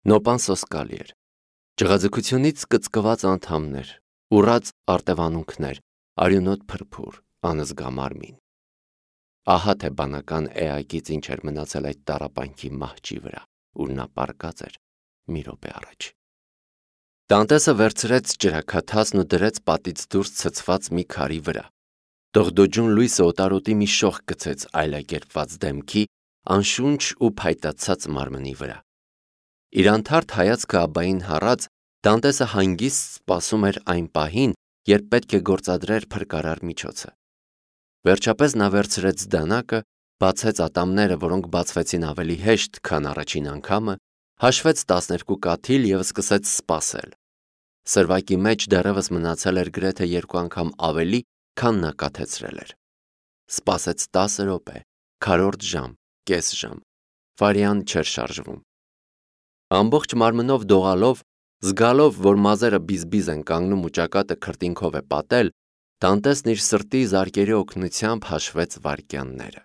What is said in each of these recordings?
Նոպան սոսկալի էր։ Ջղաձգությունից կծկված անդամներ, ուռած արտևանունքներ, արյունոտ փրփուր, անզգա մարմին։ Ահա թե բանական էակից ինչ էր մնացել այդ տառապանքի մահճի վրա, ուր նա պառկած էր մի րոպե առաջ։ Դանտեսը վերցրեց ջրաքաթածն ու դրեց պատից դուրս ցցված մի քարի վրա։ Դողդոջուն լույսը օտարոտի մի շող գցեց այլակերպված դեմքի, անշունչ ու փայտացած մարմնի վրա։ Իր անթարթ հայացքը աբային հառած, Դանտեսը հանգիստ սպասում էր այն պահին, երբ պետք է գործադրեր փրկարար միջոցը։ Վերջապես նա վերցրեց դանակը, բացեց ատամները, որոնք բացվեցին ավելի հեշտ, քան առաջին անգամը, հաշվեց 12 կաթիլ և սկսեց սպասել։ Սրվակի մեջ դեռևս մնացել էր գրեթե 2 անգամ ավելի, քան նա կաթեցրել էր։ Սպասեց 10 րոպե, քառորդ ժամ, կես ժամ, վարյան չէր շարժվում։ Ամբողջ մարմնով դողալով, զգալով, որ մազերը բիզբիզ են կանգնում ու ճակատը քրտինքով է պատել, Դանտեսն իր սրտի զարկերի օգնությամբ հաշվեց վայրկյանները։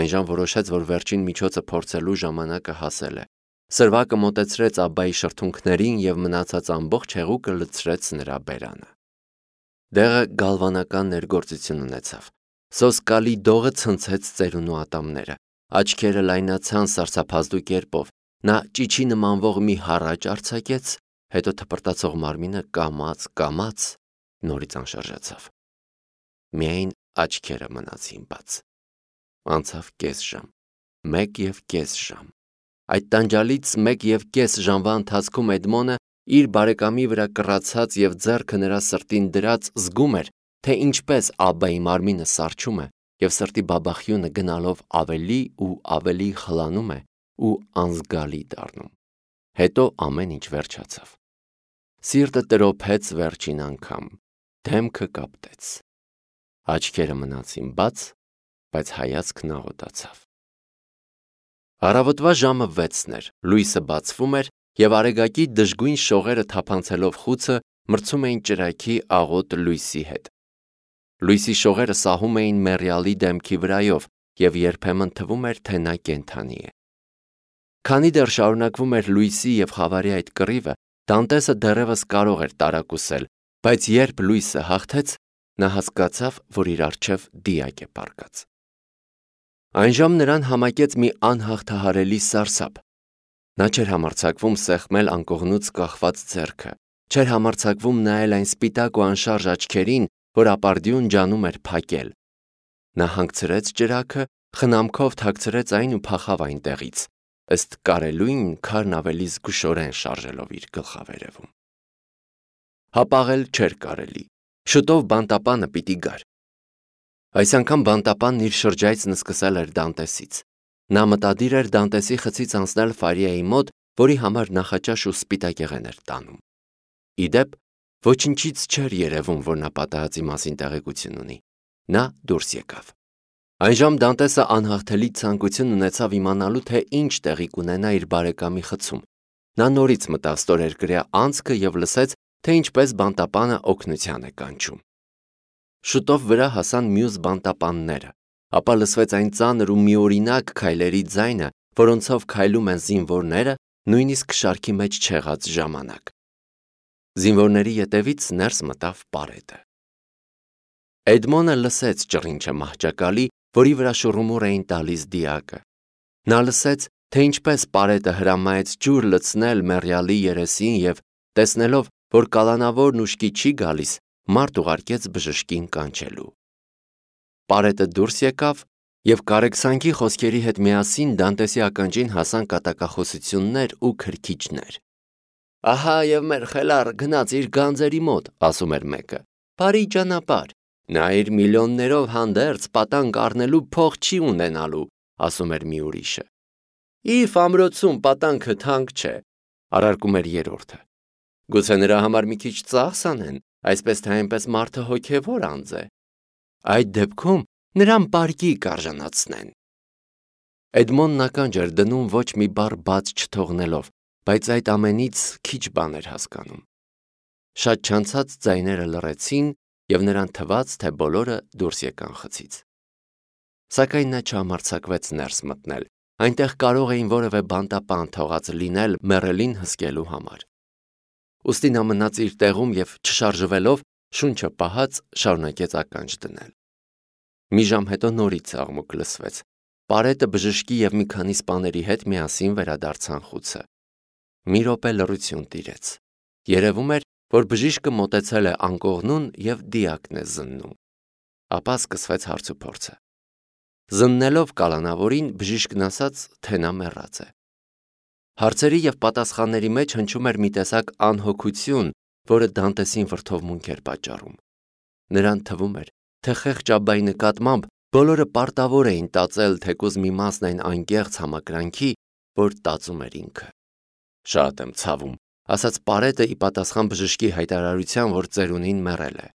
Այնժամ որոշեց, որ վերջին միջոցը փորձելու ժամանակը հասել է։ Սրվակը մոտեցրեց աբայի շրթունքներին և մնացած ամբողջ հեղուկը լցրեց նրա բերանը։ Դեղը գալվանական ներգործություն ունեցավ։ Սոսկալի դողը ցնցեց ծերունու ատամները, աչքերը լայնացան սարսափազդու կերպով, նա ճիչի նմանվող մի հառաչ արձակեց, հետո թպրտացող մարմինը կամաց նորից անշարժացավ։ Միայն աչքերը մնացին բաց։ Անցավ կես ժամ, 1.5 ժամ։ Այդ տանջալից 1.5 ժամվա ընթացքում Էդմոնը իր բարեկամի վրա կռացած և ձեռքը նրա սրտին դրած զգում էր, թե ինչպես աբայի մարմինը սառչում է և սրտի բաբախյունը գնալով ավելի ու ավելի խլանում է ու անզգալի դառնում։ Հետո ամեն ինչ վերջացավ։ Սիրտը տրոփեց վերջին անգամ, դեմքը կապտեց։ Աչքերը մնացին բաց, բայց հայացքն աղոտացավ։ Առավոտվա ժամը 6-ն էր, լույսը բացվում էր, և արեգակի դժգույն շողերը թափանցելով խուցը մրցում էին ճրագի աղոտ լույսի հետ։ Լույսի շողերը սահում էին մեռյալի դեմքի վրայով, և երբեմն թվում էր, թե նա կենդանի է։ Քանի դեռ շարունակվում էր լույսի և խավարի այդ կռիվը, Դանտեսը դեռևս կարող էր տարակուսել, բայց երբ լույսը հաղթեց, նա հասկացավ, որ իր առջև դիակ է պառկած։ Այնժամ նրան համակեց մի անհաղթահարելի սարսափ։ Նա չէր համարձակվում սեղմել անկողնուց կախված ձեռքը, չէր համարձակվում նայել այն սպիտակ ու անշարժ աչքերին, որ ապարդյուն ջանում էր փակել։ Նա հանգցրեց ճրագը, խնամքով թաքցրեց այն ու փախավ այնտեղից, ըստ կարելույն քարն ավելի զգուշորեն շարժելով իր գլխավերևում։ Հապաղել չէր կարելի։ Շուտով բանտապանը պիտի գար։ Այս անգամ բանտապանն իր շրջայցն սկսել էր Դանտեսից։ Նա մտադիր էր Դանտեսի խցից անցնել Ֆարիայի մոտ, որի համար նախաճաշ ու սպիտակեղեն էր տանում։ Ի դեպ, ոչնչից չէր երևում, որ նա պատահածի մասին տեղեկություն ունի։ Նա դուրս եկավ։ Այնժամ Դանտեսը անհաղթելի ցանկություն ունեցավ իմանալու, թե ինչ տեղի կունենա իր բարեկամի խցում։ Նա նորից մտավ ստորերկրյա անցքը և լսեց, թե ինչպես բանտապանը օգնության է կանչում։ Շուտով վրա հասան մյուս բանտապանները, ապա լսվեց այն ծանր ու միօրինակ քայլերի ձայնը, որոնցով քայլում են զինվորները, նույնիսկ շարքի մեջ չեղած ժամանակ։ Զինվորների ետևից ներս մտավ Պարետը։ Էդմոնը լսեց ճռինչը մահճակալի, որի վրա շուռումուռ էին տալիս դիակը։ Նա լսեց, թե ինչպես Պարետը հրամայեց ջուր լցնել մեռյալի երեսին և, տեսնելով, որ կալանավորն ուշքի չի գալիս, մարդ ուղարկեց բժշկին կանչելու։ Պարետը դուրս եկավ, և կարեկցանքի խոսքերի հետ միասին Դանտեսի ականջին հասան կատակախոսություններ ու քրքիջներ։ «Ահա և մեր խելառը գնաց իր գանձերի մոտ», ասում էր մեկը։ «Բարի ճանապարհ։ Նա իր միլիոններով հանդերձ պատանկ առնելու փող չի ունենալու», ասում էր մի ուրիշը։ «Իր ամրոցում պատանքը թանկ չէ», առարկում էր երրորդը։ «Գուցե նրա համար մի քիչ ծախս անեն, այսպես թե այնպես մարդը հոգևոր անձ է։ Այդ դեպքում նրան պարկի կարժանացնեն»։ Էդմոնն ականջ էր դնում, ոչ մի բառ բաց չթողնելով, բայց այդ ամենից քիչ բան էր հասկանում։ Շատ չանցած ձայները լռեցին, և նրան թվաց, թե բոլորը դուրս եկան խցից։ Սակայն նա չհամարձակվեց ներս մտնել, այնտեղ կարող էին որևէ բանտապան թողած լինել մեռելին հսկելու համար։ Ուստի նա մնաց իր տեղում և չշարժվելով, շունչը պահած շարունակեց ականջ դնել։ Մի ժամ հետո նորից աղմուկ լսվեց։ Պարետը բժշկի և մի քանի սպաների հետ միասին վերադարձան խուցը։ Մի րոպե լռություն տիրեց։ Երևում էր, որ բժիշկը մոտեցել է անկողնուն և դիակն է զննում։ Ապա սկսվեց հարցուփորձը։ Զննելով կալանավորին, բժիշկն ասաց, թե նա մեռած է։ Հարցերի և պատասխանների մեջ հնչում էր մի տեսակ անհոգություն, որը Դանտեսին վրդովմունք էր պատճառում։ Նրան թվում էր, թե խեղճ աբբայի նկատմամբ բոլորը պարտավոր էին տածել թեկուզ մի մասն այն անկեղծ համակրանքի, որ տածում էր ինքը։ Շատ եմ ցավում, ասաց Պարետը ի պատասխան բժշկի հայտարարության, որ ծերունին մեռել է։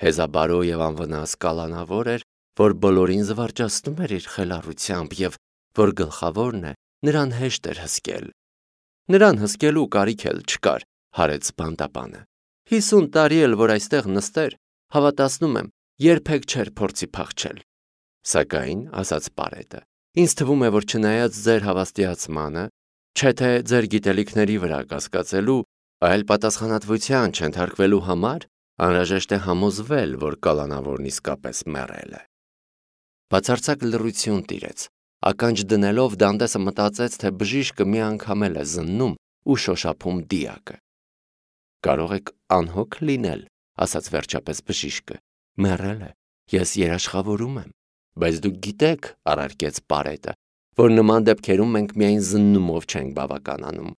Հեզաբարո և անվնաս կալանավոր էր, որ բոլորին զվարճացնում էր իր խելառությամբ և, որ գլխավորն է, նրան հեշտ էր հսկել։ Նրան հսկելու կարիք էլ չկար, հարեց բանտապանը։ 50 տարի էլ որ այստեղ նստեր, հավատացնում եմ, երբեք չէր փորձի փախչել։ Սակայն, ասաց Պարետը, ինձ թվում է, որ չնայած ձեր հավաստիացմանը, չէ թե ձեր գիտելիքների վրա կասկածելու, այլ պատասխանատվության չենթարկվելու համար, անհրաժեշտ է համոզվել, որ կալանավորն իսկապես մեռել է։ Բացարձակ լռություն տիրեց։ Ականջ դնելով Դանտեսը մտածեց, թե բժիշկը մի անգամ էլ է զննում ու շոշափում դիակը։ Կարող եք անհոգ լինել, ասաց վերջապես բժիշկը։ Մեռել է, ես երաշխավորում եմ, բայց դուք գիտեք, առարկեց Պարետը, որ նման դեպքերում մենք միայն զննումով չենք բավականանում։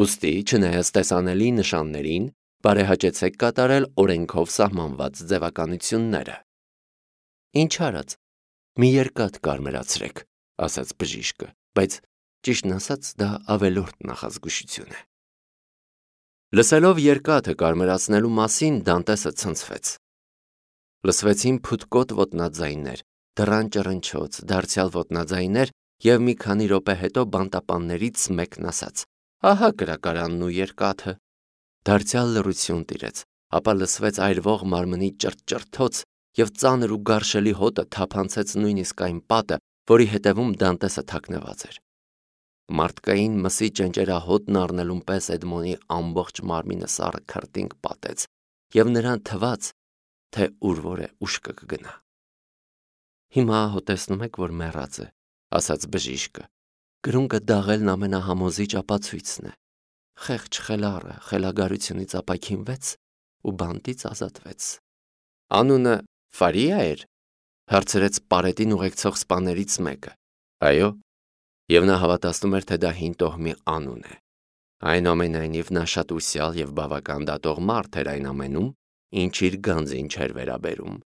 Ուստի, չնայած տեսանելի նշաններին, բարեհաճեցեք կատարել օրենքով սահմանված ձևականությունները։ Ինչ արած, մի երկաթ կարմրացրեք, ասաց բժիշկը, բայց ճիշտն ասած դա ավելորդ նախազգուշություն է։ Լսելով երկաթը կարմրացնելու մասին Դանտեսը ցնցվեց։ Լսվեցին փութկոտ ոտնաձայներ, դռան ճռնչոց, դարձյալ ոտնաձայներ և մի քանի րոպե հետո բանտապաններից մեկն ասաց. «Ահա կրակարանն ու երկաթը»։ Դարձյալ լռություն տիրեց, ապա լսվեց այրվող մարմնի ճրթճրթոց և ծանր ու գարշելի հոտը թափանցեց նույնիսկ այն պատը, որի հետևում Դանտեսը թաքնված էր։ Մարդկային մսի ճնճերահոտն առնելուն պես Էդմոնի ամբողջ մարմինը սառը քրտինք պատեց, և նրան թվաց, թե ուր որ է ուշքը կգնա։ Հիմա տեսնում եք, որ մեռած է, ասաց բժիշկը։ Կրունկը դաղելն ամենահամոզիչ ապացույցն է։ Խեղճ խելառը խելագարությունից ապաքինվեց ու բանտից ազատվեց։ Անունը Ֆարիա էր, հարցրեց Պարետին ուղեկցող սպաներից մեկը։ Այո, և նա հավատացնում էր, թե դա հին տոհմի անուն է։ Այնուամենայնիվ նա շատ ուսյալ և բավական դատող մարդ էր այն ամենում, ինչ իր գանձին չէր վերաբերում։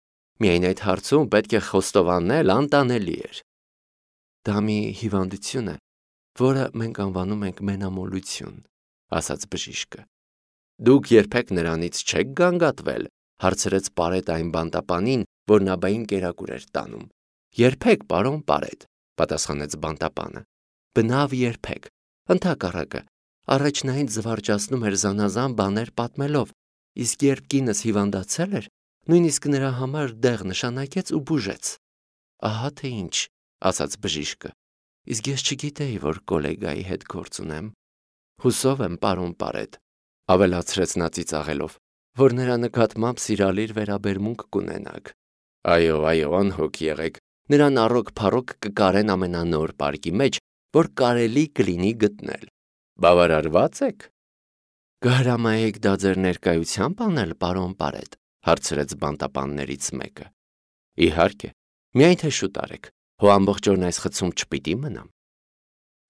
Միայն այդ հարցում պետք է խոստովանել անտանելի էր։ Դա մի հիվանդություն է, որը մենք անվանում ենք մենամոլություն, ասաց բժիշկը։ Դուք երբեք նրանից չեք գանգատվել, հարցրեց Պարետը այն բանտապանին, որ նաբային կերակուր էր տանում։ Երբեք, պարոն Պարետ, պատասխանեց բանտապանը։ Բնավ երբեք, ընդհակառակը, առաջնային զվարճացնում էր զանազան բաներ պատմելով, իսկ երբ կինս հիվանդացել էր, նույնիսկ նրա համար դեղ նշանակեց ու բուժեց։ Ահա թե ինչ, ասաց բժիշկը, իսկ ես չգիտեի, որ կոլեգայի հետ գործ ունեմ։ Հուսով եմ, պարոն Պարետ, ավելացրեց նա ծիծաղելով, որ նրա նկատմամբ սիրալիր վերաբերմունք կունենաք։ Այո, անհոգ եղեք, նրան առօգ-փառոգ կկարեն ամենանոր պարկի մեջ, որ կարելի կլինի գտնել։ Բավարարվա՞ծ եք։ Կհրամայեք դա ձեր ներկայությամբ անել, պարոն Պարետ, հարցրեց բանտապաններից մեկը։ Իհարկե, միայն թե շուտ արեք, հո ամբողջ օրն այս խցում չպիտի մնամ։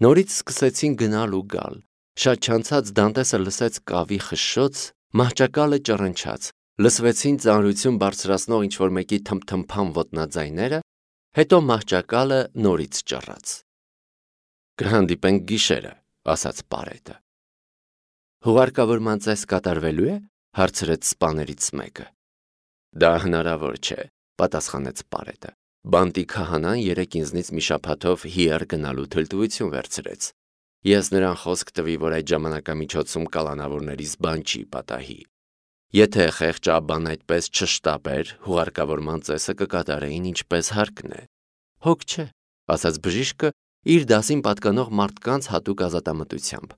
Նորից սկսեցին գնալ ու գալ։ Շատ չանցած Դանտեսը լսեց կավի խշշոց, մահճակալը ճռնչաց, լսվեցին ծանրություն բարձրացնող ինչ-որ մեկի թմփթմփան ոտնաձայները, հետո մահճակալը նորից ճռաց։ Կհանդիպենք գիշերը, ասաց Պարետը։ Հուղարկավորման ծես կատարվելու է, հարցրեց սպաներից մեկը։ Դա հնարավոր չէ, պատասխանեց Պարետը։ Բանտի քահանան երեկ ինձնից մի շաբաթով հիար գնալու թույլտվություն վերցրեց։ Ես նրան խոսք տվի, որ այդ ժամանակամիջոցում կալանավորներից բան չի պատահի։ Եթե խեղճ աբբան այդպես չշտապեր, հուղարկավորման ծեսը կկատարեին ինչպես հարկն է։ Հոգ չէ, ասաց բժիշկը իր դասին պատկանող մարդկանց հատուկ ազատամտությամբ։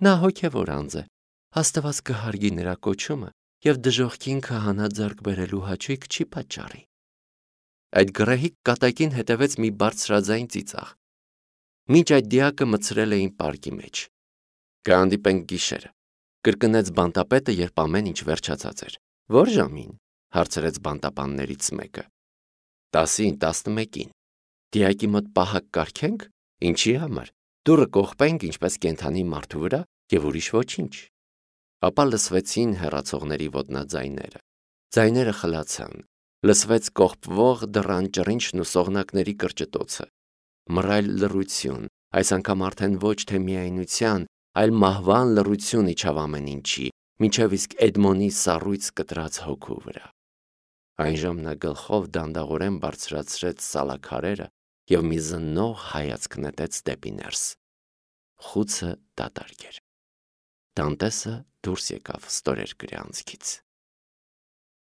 Նա հոգևոր անձ է, Աստված կհարգի նրա կոչումը և դժոխքին քահանա ձեռք բերելու հաճույք չի պատճառի։ Այդ գռեհիկ կատակին հետևեց մի բարձրաձայն ծիծաղ։ Մինչ այդ դիակը մտցրել էին պարկի մեջ։ «Կհանդիպենք գիշերը», կրկնեց բանտապետը, երբ ամեն ինչ վերջացած էր։ «Ո՞ր ժամին», հարցրեց բանտապաններից մեկը։ 10-ին, 11-ին։ Դիակի մոտ պահակ կարգենք, ինչի համար, դուռը կողպենք ինչպես կենդանի մարդու վրա և ուրիշ ոչինչ։ Ապա լսվեցին հեռացողների ոտնաձայները։ Ձայները խլացան, լսվեց կողպվող դռան ճռինչն ու սողնակների կրճտոցը։ Մռայլ լռություն, այս անգամ արդեն ոչ թե միայնության, այլ մահվան լռություն իջավ ամեն ինչի, մինչև իսկ Էդմոնի սառույց կտրած հոգու վրա։ Այժմ նա գլխով դանդաղորեն բարձրացրեց սալաքարերը և մի զննող հայացք նետեց դեպի ներս։ Խուցը դատարկ էր։ Դանտեսը դուրս եկավ ստորերկրի անցքից։